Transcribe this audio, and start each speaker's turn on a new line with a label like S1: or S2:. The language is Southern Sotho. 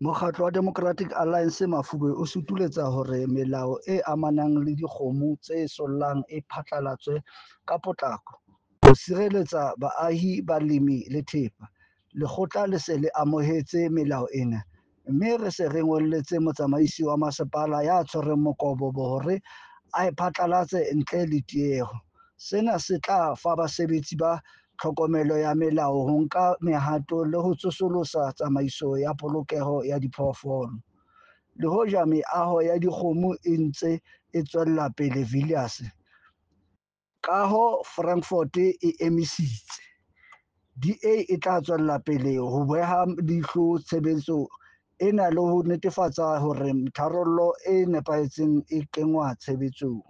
S1: Mokgatlo wa Democratic Alliance Mafube o sutuletsa hore melao e amanang le dikgomo tse sollang e phatlalatswe ka potlako, ho sireletsa baahi, balemi le thepa. Lekgotla le se le amohetse melao ena, mme re se re ngolletse motsamaisi wa masepala ya tshwereng mokobobo hore a e phatlalatse ntle le tieho. Sena se tla fa basebetsi ba tlhokomelo ya melao ho nka mehato le ho tsosolosa tsamaiso ya polokeho ya diphoofolo. Le hoja meaho ya dikgomo e ntse e tswela pele Villiers, kaho Frankfort e emisitse, DA e tla tswela pele ho beha leihlo tshebetso ena le ho netefatsa hore tharollo e nepahetseng e kenngwa tshebetsong.